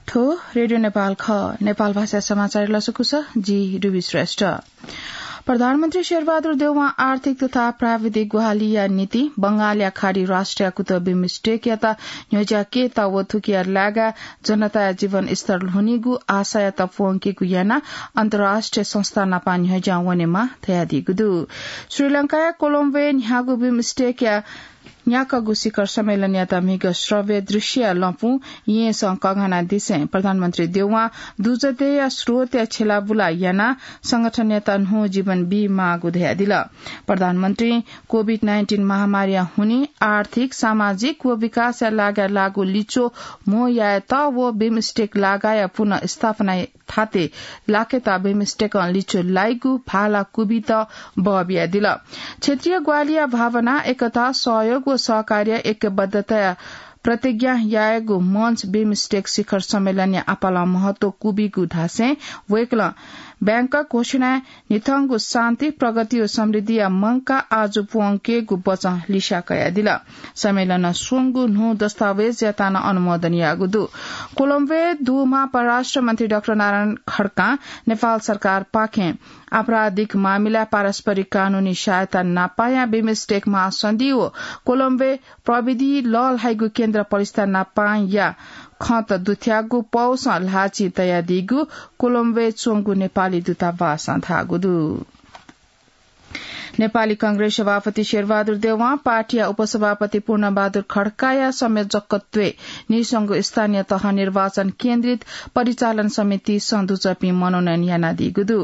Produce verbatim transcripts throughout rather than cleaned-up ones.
थ्व रेडियो नेपाल खः। नेपाल भाषा समाचार लसकुस, जि रुबी श्रेष्ठ। प्रधानमन्त्री शेरबहादुर देउवां आर्थिक तथा प्राविधिक ग्वाहालिया निंतिं बंगालया खाडी राष्ट्रया कुतः बिमस्टेकयात न्ह्यज्याकेत व थुकिया लागाय् जनताया जीवन स्तर ल्ह्वनीगु आशायात प्वंकेगु यानाः अन्तर्राष्ट्रिय संस्था नापं न्ह्यज्यां वनेमाः धयादीगु दु। श्रीलंकाया कोलम्बोय् न्ह्याःगु बिमस्टेकया न्याक्वःगु शिखर सम्मेलनयात म्हिगः श्रव्य दृश्यया लँपुं येँसं कःघानादिसें प्रधानमन्त्री देउवां दुजःदेया स्रोतया छ्यलाबुला यानाः संगठनयात न्हू जीवन बीमाःगु धयादिल। प्रधानमन्त्रीं कोभिड नाइन्टिन महामारीया हुनिं आर्थिक, सामाजिक व विकासया लागाय् लाःगु लिच्वः म्हो यायेत व बिमस्टेक लागाया पुनर्स्थापना थाते लाकेत बिमस्टेकं लिच्वः लाइगु भाला कुबित बः बियादिल। क्षेत्रीय ग्वाहालिया भावना, एकता, सहयोग व सहकार्य ऐक्यबद्धताया प्रतिज्ञा यायेगु मञ्च बिमस्टेक शिखर सम्मेलनया आपालं महत्व कुबिगु धासें वय्कलं ब्याङ्कक घोषणाय् न्हिथंगु शान्ति, प्रगति व समृद्धिया मंकाः आजु प्वंकेगु बचं लिस्या कयादिल। सम्मेलनं स्वंगु न्हू दस्तावेजयात नं अनुमोदन याःगु दु। कोलम्बोय् दुम्ह परराष्ट्र मन्त्री डाक्टर नारायण खड्कां नेपाल सरकारपाखें आपराधिक मामिलाय् पारस्परिक कानूनी सहायता नापायां बिमस्टेक महासन्धि व कोलम्बोय् प्रविधि लःल्हाइगु केन्द्र पलिस्था नापांया खँत दुथ्याःगु पौसं ल्हाःचिं तयादीगु कोलम्बोय् च्वंगु नेपाली दूतावासं धाःगु दु। नेपाली कांग्रेस सभापति शेरबहादुर देउवां पार्टीया उपसभापति पूर्णबहादुर खड्काया संयोजकत्वय् नीस्वंगू स्थानीय तह निर्वाचन केन्द्रित परिचालन समितिसं दुजःपिं मनोनयन यानादीगु दु।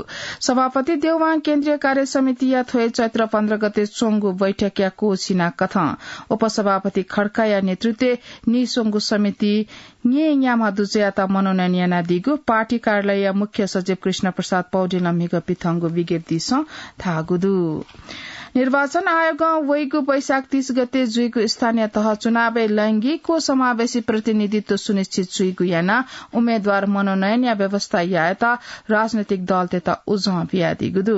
सभापति देउवां केन्द्रीय कार्य समितिया थ्वय् चैत्र पन्ध्र गते च्वंगु बैठकया कोसिना कथं उपसभापति खड्काया नेतृत्वय् नीस्वंगू समिति न्येन्याम्ह दुजःयात मनोनयन यानादीगु पार्टी कार्यालयया मुख्य सचिव कृष्ण प्रसाद पौडेलं म्हिगः पिथंगु विज्ञप्तिसं धाःगु दु। निर्वाचन आयोगं वइगु वैशाख तीस गते जुइगु स्थानीय तह चुनावय् लैंगिक व समावेशी प्रतिनिधित्व सुनिश्चित जुइगु यानाः उम्मेद्वार मनोनयनया व्यवस्था यायेत राजनैतिक दलतय्त उजं बियादीगु दु।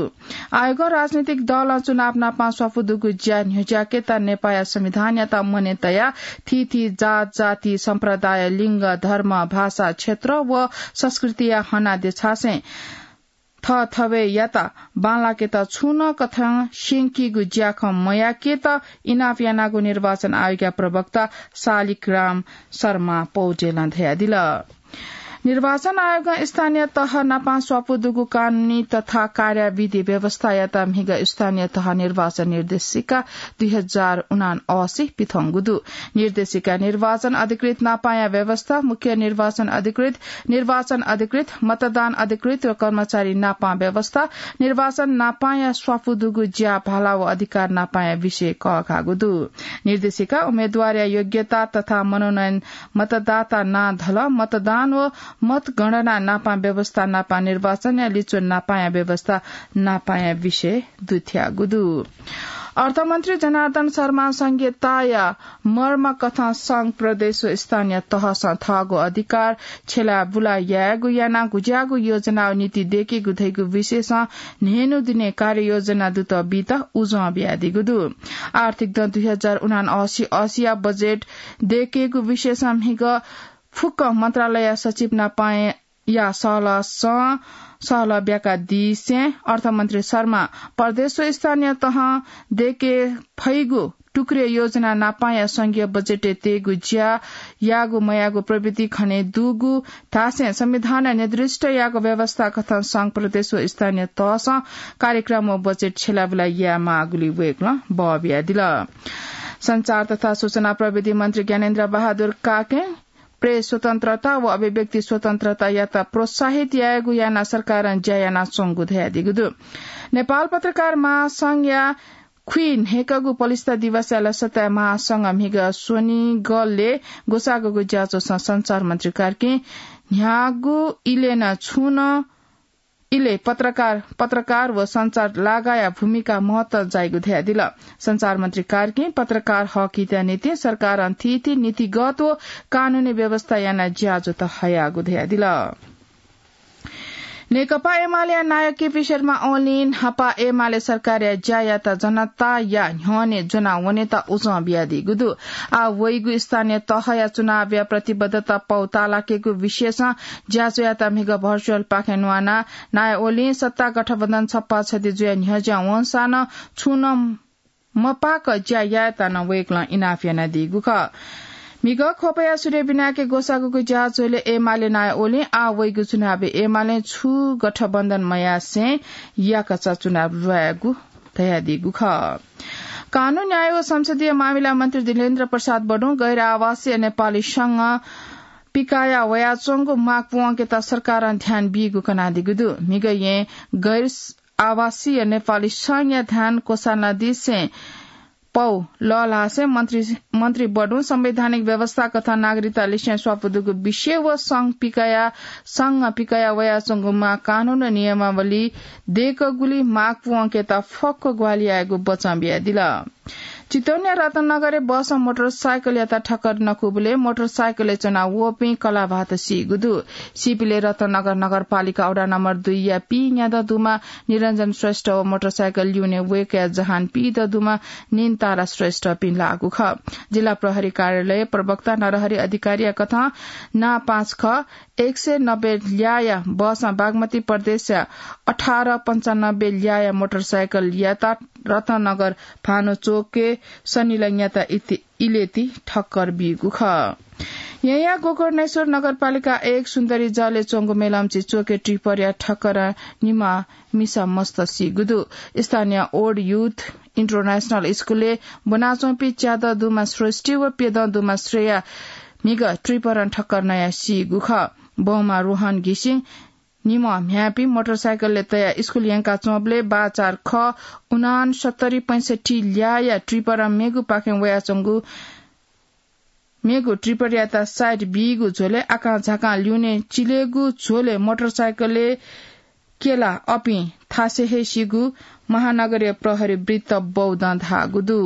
आयोगं राजनैतिक दलं चुनाव नापं स्वापू दुगु ज्या न्ह्यज्याकेत नेपाःया संविधानयात मने तयाः थीथी जात, जाति, सम्प्रदाय, लिङ्ग, धर्म, भाषा, क्षेत्र व संस्कृतिया हना देछासें थःथवय्‌यात बांलाकेत छुं नं कथं स्यंकीगु ज्याखँ मयाकेत इनाप यानागु निर्वाचन आयोगया प्रवक्ता शालिग्राम शर्मा पौडेलं धयादिल। निर्वाचन आयोगं स्थानीय तह नापं स्वापू दुगु कानूनी तथा कार्याविधि व्यवस्थायात म्हिगः स्थानीय तह निर्वाचन निर्देशिका दुई हजार उनासी पिथंगु दु। निर्देशिका निर्वाचन अधिकृत नापांया व्यवस्था, मुख्य निर्वाचन अधिकृत, निर्वाचन अधिकृत, मतदान अधिकृत व कर्मचारी नापं व्यवस्था, निर्वाचन नापांया स्वापू दुगु ज्या भाला व अधिकार नापांया विषय कःघाःगु दु। निर्देशिका उम्मेद्वारया योग्यता तथा मनोनयन, मतदाता नां धलः, मतदान व मतगणना नापं व्यवस्था नापं निर्वाचनया लिच्वः नापांया व्यवस्था नापांया विषय दुथ्याःगु दु। अर्थमन्त्री जनार्दन शर्मां संघीयताया मर्म कथं संघ, प्रदेश व स्थानीय तहसं थःगु अधिकार छ्यलाबुला यायेगु यानाः गुज्याःगु योजना व नीति दय्केगु धइगु विषयसं न्हय्न्हु दिने कार्ययोजना दुत बीत उजं बियादीगु दु। आर्थिक दँ दुई हजार उनासी असीया बजेट दय्केगु विषयसं म्हिगः फुक्क मन्त्रालय सचिव नापांया सहलहसं सहलह ब्याकादीसें अर्थमन्त्री शर्मां प्रदेश व स्थानीय तहं दय्के फइगु टुक्रिय योजना नापांया संघीय बजेटय् तयेगु ज्या याःगु मयाःगु प्रवृत्ति खने दुगु धासें संविधानं निर्दिष्ट याःगु व्यवस्था कथं संघ, प्रदेश व स्थानीय तहसं कार्यक्रम व बजेट छ्यलाबुला यायेमाःगुली वय्कलं बः बियादिल। सञ्चार तथा सूचना प्रविधि मन्त्री ज्ञानेन्द्र बहादुर काकें प्रेस स्वतन्त्रता व अभिव्यक्ति स्वतन्त्रतायात प्रोत्साहित यायेगु यानाः सरकारं ज्या यानाच्वंगु धयादीगु दु। नेपाल पत्रकार महासंघया खुइन्हय्कःगु पलिस्था दिवसया लसताय् महासंघ म्हिगः स्वनिगलय् ग्वसाःगु ज्याझ्वलय् सञ्चार मन्त्री कार्कीं न्ह्याःगु इलय् नं छुं नं इलय् पत्रकार, पत्रकार व सञ्चार लागाया भूमिका महत्व जाइगु धयादिल। सञ्चार मन्त्री कार्कीं पत्रकार हक हितया निंतिं सरकारं थीथी नीतिगत व कानूनी व्यवस्था यानाः ज्याझ्वः हयागु धयादिल। नेकपा एमालेया नायः केपी शर्मा ओलीं न्हापा एमाले सरकारया ज्यायात जनताया न्ह्यःने ज्वना वनेत उजं बियादीगु दु। आः वइगु स्थानीय तहया चुनावया प्रतिबद्धता पौ तालाकेगु विषयसं ज्याझ्वःयात म्हिगः virtual पाखें न्वानाः नायः ओलीं सत्ता गठबन्धन छप्पा छधि जुया न्ह्यज्यां वंसां नं छुं नं मपाक ज्या यायेत नं वय्कलं इनाप यानादीगु खः। म्हिगः ख्वपया सूर्य बिनाके ग्वसाःगु ज्याझ्वलय् एमाले नायः ओलीं आः वइगु चुनावय् एमालें छुं गठबन्धन मयासें याकःचा चुनाव ल्वायेगु धयादीगु खः। कानून न्याय व संसदीय मामिला मन्त्री दिलेन्द्र प्रसाद बडुं गैर आवासीय नेपाली संघ पिकाया वयाच्वंगु माग पूवंकेत सरकारं ध्यान बीगु कनादीगु दु। म्हिगः यें गैर आवासीय नेपाली संघया ध्यान क्वसानादिसें पौ लःल्हासें मन्त्री, मन्त्री बडुं संवैधानिक व्यवस्था कथं नागरिकता लिसें स्वापू दुगु विषय व संघ पिकाया, संघ पिकाया वयाच्वंगु माग कानून नियमावली दय्कूगुलिं माग पूवंकेत फक्व ग्वाहालि यायेगु बचं बियादिल। चितवनया रत्ननगरय् बसं मोटरसाइकलयात ठक्कर नकूबलय् मोटरसाइकलय् च्वना वःपिं कलाभात सीगु दु। सीपिले रत्ननगर नगरपालिका वडा नम्बर दुईया पीन्यादँ दुम्ह निरञ्जन श्रेष्ठ व मोटरसाइकल ल्यूने वय्कःया जहान पीदँ दुम्ह निन्तारा श्रेष्ठपिं लाःगु खः। जिल्ला प्रहरी कार्यालय प्रवक्ता नरहरि अधिकारीया कथं नां पाँच ख एक सय नब्बे ल्याःया बसं बागमती प्रदेशया अठार पन्चानब्बे ल्याःया मोटरसाइकलयात रत्ननगर भानु चोकय् सनिलंयात इति इलेति ठक्कर बीगु खः। येँया गोकर्णेश्वर नगरपालिका एक सुन्दरी जलय् च्वंगु मेलम्ची चोकय् ट्रिपरया ठक्कर निम्ह मिसा मस्त सीगु दु। स्थानीय ओड युथ इन्टरनेशनल स्कुलय् ब्वनाच्वंपिं च्यादँ दुम्ह श्रेष्ठी व प्यदँ दुम्ह श्रेया म्हिगः ट्रिपरं ठक्कर नयाः सीगु खः। बौम्ह रोहन घिसिं निम्ह म्ह्याय्‌पिं मोटरसाइकलय् तयाः स्कुल यंकाच्वंबलय् बाचार ख उनान्सत्तरी पैंसठ्ठी ल्याःया ट्रिपरं मेगुपाखें वयाच्वंगु, मेगु ट्रिपरयात साइड बीगु झ्वलय् आकांझाकां ल्यूने चिलेगु झ्वलय् मोटरसाइकलय् क्यला अपिं थासय् हे सीगु महानगरीय प्रहरी वृत्त बौद्धं धाःगु दु।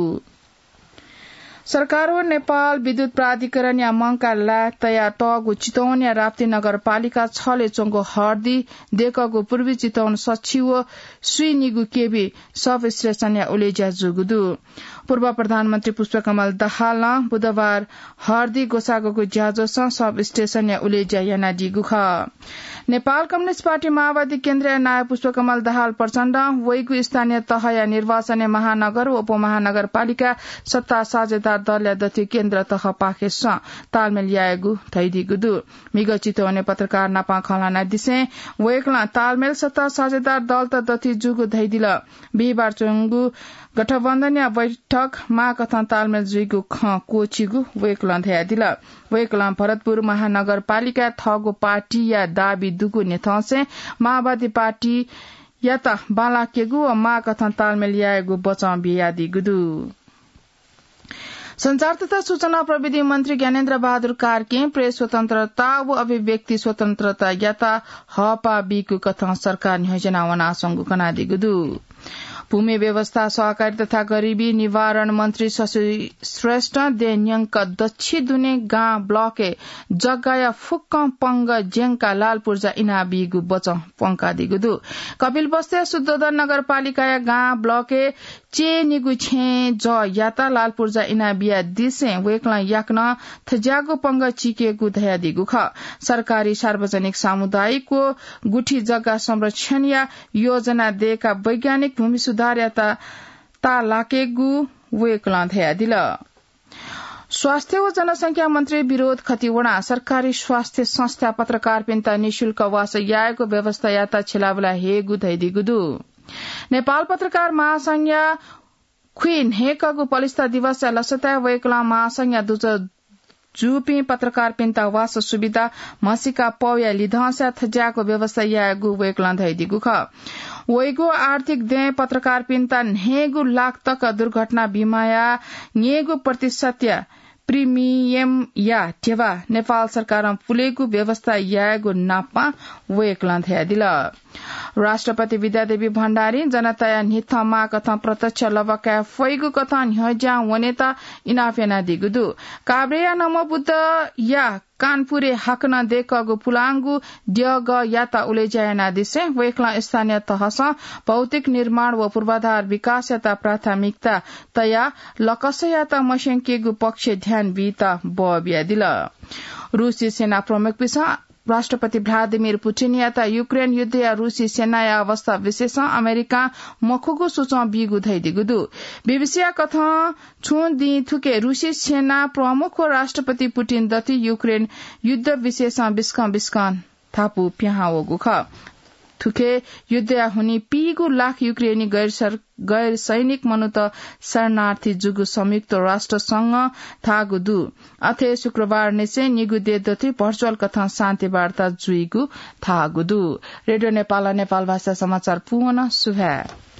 सरकार व नेपाल विद्युत प्राधिकरणया मंकाः लाय् तयातःगु चितवनया राप्ती नगरपालिका छलय् च्वंगु हर्दी दय्कःगु पूर्वी चितवन सछि व स्वीनिगू केभी सब स्टेशनया उलेज्या जूगु दु। पूर्व प्रधानमन्त्री पुष्पकमल दाहालं बुधबार हर्दी ग्वसाःगु ज्याझ्वलय् सब स्टेशनया उलेज्या यानादीगु खः। नेपाल कम्युनिस्ट पार्टी माओवादी केन्द्रया नायः पुष्पकमल दाहाल प्रचण्डं वइगु स्थानीय तहया निर्वाचनय् महानगर व उपमहानगरपालिका सत्ता साझेदार दलया दथुइ केन्द्र तहपाखेसं तालमेल यायेगु धयादीगु दु। म्हिगः चितवनय् पत्रकार नाप खँ ल्हानादिसें वय्कलं तालमेल सत्ता साझेदार दलत दथुइ जूगु धयादिल। बिहिबार च्वंगु गठबन्धनया बैठक माःकथं तालमेल जुइगु खँ क्वःछिगु वय्कलं धयादिल। वय्कलं भरतपुर महानगरपालिकाय् थःगु पार्टीया दाबी दुगु न्ह्यथंसें माओवादी पार्टीयात बांलाकेगु व माःकथं तालमेल यायेगु बचं बियादीगु दु। सञ्चार तथा सूचना प्रविधि मन्त्री ज्ञानेन्द्र बहादुर कार्कीं प्रेस स्वतन्त्रता व अभिव्यक्ति स्वतन्त्रतायात हःपाः बीगु कथं सरकार न्ह्यज्याना वनाच्वंगु कनादीगु दु। भूमि व्यवस्था, सहकारी तथा गरिबी निवारण मन्त्री शशि श्रेष्ठं देय् न्यंक दच्छि दुने गां ब्लकय् जग्गाया फुक्कं पंगः ज्यंकाः लाल पुर्जा इनाबीगु बचं प्वंकादीगु दु। कपिलवस्तुया शुद्धोदन नगरपालिकाया गां ब्लकय् चय्निगू छेँ जःयात लाल पुर्जा इनाबियादिसें वय्कलं याकनं थज्याःगु पंगः चीकेगु धयादीगु खः। सरकारी, सार्वजनिक, सामुदायिक व गुठी जग्गा संरक्षणया योजना दय्काः वैज्ञानिक भूमि सुधारयात ताःलाकेगु वय्कलं धयादिल। स्वास्थ्य व जनसंख्या मन्त्री विनोद खतिवडां सरकारी स्वास्थ्य संस्था पत्रकारपिन्त निशुल्क वासः यायेगु व्यवस्थायात छिलाबुला हयेगु धयादीगु दु। नेपाल पत्रकार महासंघया खुइन्हय्कःगु पलिस्था दिवसया लसताय् वय्कलं महासंघया दुजः जूपिं पत्रकारपिन्त वासः सुविधा म्हसीका पौया लिधंसा थज्याःगु व्यवस्था यायेगु वय्कलं धयादीगु खः। वइगु आर्थिक दँय् पत्रकारपिन्त न्हय्गू लाख तक दुर्घटना बिमाया न्यय्गू प्रतिशतया प्रिमियमया ध्यबा नेपाल सरकारं पुलेगु व्यवस्था यायेगु नापं वय्कलं धयादिल। राष्ट्रपति विद्यादेवी भण्डारीं जनताया न्हिथं माःकथं प्रत्यक्ष लबा काये फइगु कथं न्ह्यज्यां वनेत इनाप यानादीगु दु। काभ्रेया नमोबुद्धया कानपुरय् हाकनं दय्‌कःगु पुलांगु द्यःगः यात उलेज्या यानादिसें वय्‌कलं स्थानीय तहसं भौतिक निर्माण व पूर्वाधार विकास यात प्राथमिकता तयाः लकसयात मस्यंकेगु पक्षय् ध्यान बीत बः बियादिल। रूसी सेना प्रमुखपिसं राष्ट्रपति भ्लादिमिर पुटिनयात युक्रेन युद्धया रूसी सेनाया अवस्था विषयसं अमेरिकां मखुगु सुचं बीगु धइदिगु दु। बीबीसीया कथं छुं दिं थुके रूसी सेना प्रमुख व राष्ट्रपति पुटिन दथुइ युक्रेन युद्ध विषयसं बिस्कं बिस्कं धापू पिहां वःगु खः। थुके युद्धया हुनिं पीगू लाख युक्रेनी गैर सर-, गैर सैनिक मनूत शरणार्थी जूगु संयुक्त राष्ट्र संघं धाःगु दु। अथे शुक्रबार निसें निगू देय् दथुइ भर्चुअल कथं शान्ति वार्ता जुइगु धाःगु दु। रेडियो नेपालं नेपाल भाषा समाचार पूवन सुभाय्।